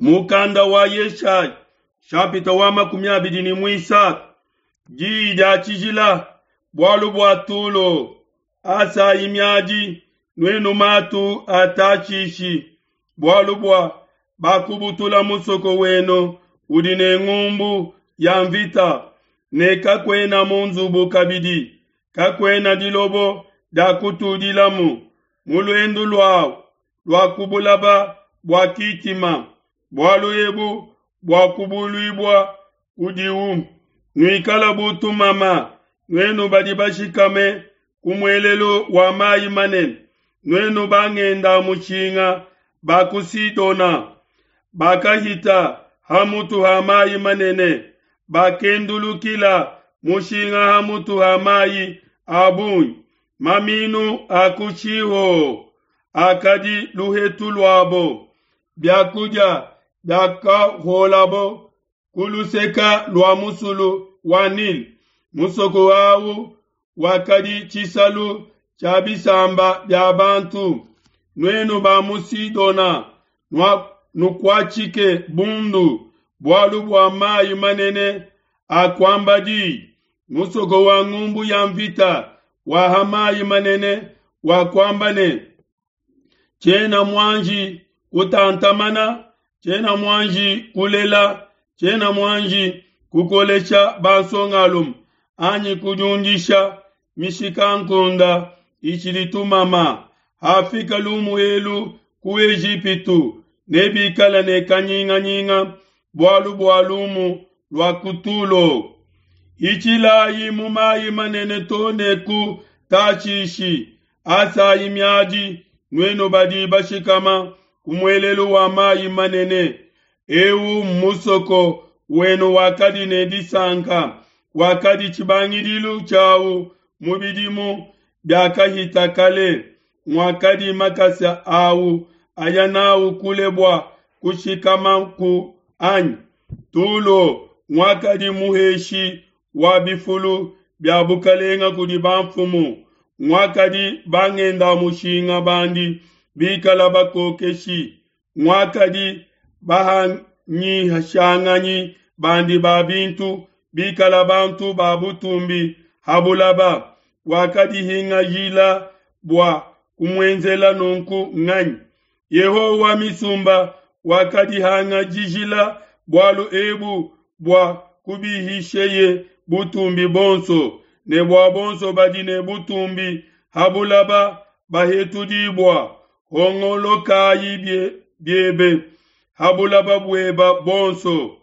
Mukanda wa Yeshaya shapita wa 23 diyi dia tshijila bualu bua Tulo. Asayi miadi, nuenu matu a Tashishi, bualu bua bakubutula musoko wenu udi ne ngumbu ya mvita, ne kakuena mu nzubu kabidi, kakuena dilobo dia kutudilamu mu luendu luawu lua ku bulaba bua Kitima. Bualu ebu buakubuluibua kudiwu. Nuikala bu tumama, nuenu badi bashikame ku muelelu wa mayi manene, nuenu bangenda mushinga ba ku Sidona, bakahita ha mutu ha mayi manene, bakendulukila mushinga ha mutu ha mayi a bungi. Maminu a ku Shiho akadi luhetu luabo, biakudia biakahuolabo ku luseka lua musulu wa Nile. Musoko au wakadi tshisalu tshia bisamba bia bantu. Nuenu ba mu Sidona, nukuatshike bundu bualu bua mayi manene akuamba diyi. Musoko wa ngumbu ya mvita wa ha mayi manene wakuamba ne, tshiena muanji kutantamana, tshiena muanji kulela, tshiena muanji kukolesha bansongalume anyi kudiundisha mishikankunda itshidi tumama. Hafika lumu elu ku Ejipitu, nebikale ne kanyinganyinga bualu bua lumu lua ku Tulo. Hitshilayi mu mayi manene to ne ku Tashishi, asayi miadi, nuenu badi bashikama ku muelelu wa mayi manene. Eu mmusoko wenu wakadi ne disanka, wakadi tshibangidilu tshiawu mu bidimu biakahita kale, muakadi makasa awu aya nawu kule bua kushikamaku anyi? Tulo muakadi muheshi wa bifulu bia bukalenga kudi bamfumu, muakadi bangenda mushinga bandi bikala bakokeshi, muakadi bahanyishanganyi bandi ba bintu bikala bantu ba butumbi ha bulaba. Wakadihingajila bua kumuenzela nunku nganyi? Yehowa wa misumba wakadihangajijila bualu ebu bua kubihisheye butumbi bonso, ne bua bonso badi ne butumbi ha bulaba bahetudibua. Hongolokayi biebe ha bulaba bueba bonso,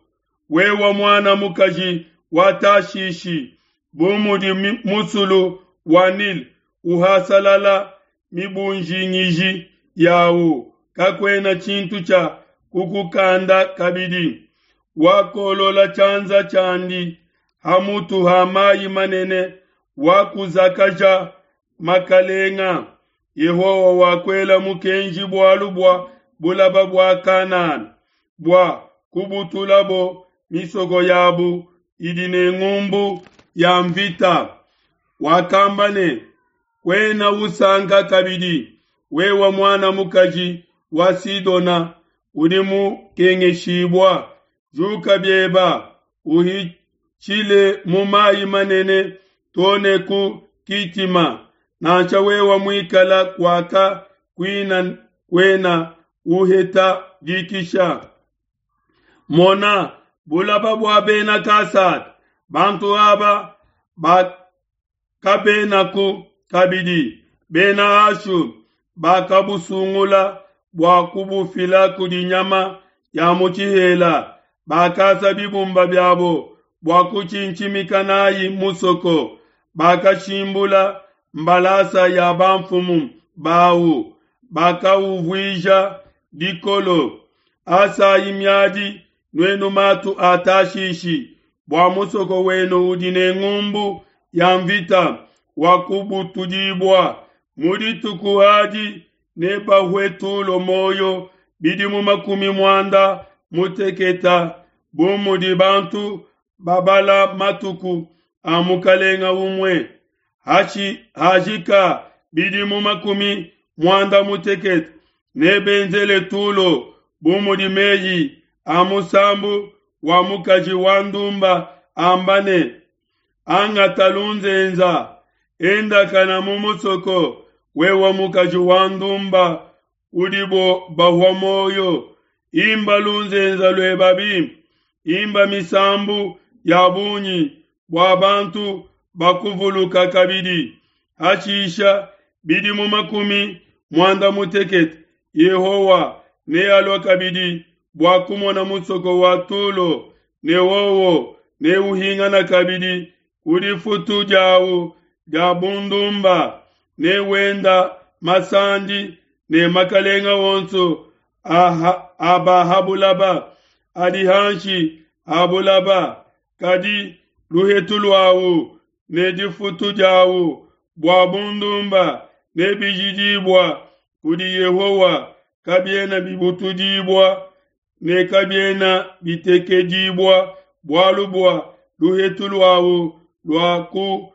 wewe muana mukaji wa Tashishi, bu mudi musulu wa Nile uhasalala mibunjingiji yawu, kakuena tshintu tshia kukukanda kabidi. Wakolola tshianza tshiandi ha mutu ha mayi manene, wakuzakaja makalenga. Yehowa wakuela mukenji bualu bua bulaba bua Kanana, bua kubutulabo misoko yabu idi ne ngumbu ya mvita. Wakamba ne, kuena usanka kabidi, wewe muana mukaji wa Sidona udi mukengeshibua. Juka bieba, uhitshile mu mayi manene to ne ku Kitima, nansha wewe muikala kuaka kuina kuena uheta dikisha. Mona bulaba bua bena Kasada, bantu aba bakabenaku kabidi. Bena Ashu bakabusungula bua kubufila kudi nyama ya mu tshihela, bakasa bibumba biabo bua kutshintshimika nayi musoko, bakashimbula mbalasa ya bamfumu bawu, bakauvuija dikolo. Asayi miadi, nuenu matu a Tashishi, bua musoko wenu udi ne ngumbu ya mvita wakubutudibua. Mu dituku adi nebahue Tulo muoyo bidimu 90, bu mudi bantu babala matuku a mukalenga umue. Hajika bidimu 90, nebenzele Tulo bu mudi meyi a musambu wa mukaji wa ndumba amba ne, Angata lunzenza, endakana mu musoko, wewe mukaji wa ndumba udibo bahua muoyo, imba lunzenza lueba bimpe, imba misambu ya bungi bua bantu bakuvuluka kabidi. Hashisha bidimu 60 Yehowa nealue kabidi bua kumona musoko wa Tulo, ne wowo neuhingana kabidi ku difutu diawu dia bundumba, ne wenda masandi ne makalenga onso a ba ha bulaba adi hanshi ha bulaba, kadi luhetu luawu ne difutu diawu bua bundumba nebijidibua kudi Yehowa, kabiena bibutudibua ne kabiena bitekedibua, bualu bua luhetu luawu lua ku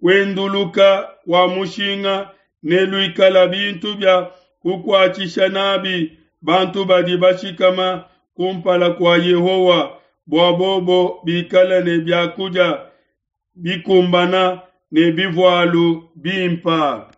kuenduluka kua mushinga neluikala bintu bia kukuatshisha nabi bantu badi bashikama kumpala kua Yehowa, bua bobo bikale ne biakudia bikumbana ne bivualu bimpa.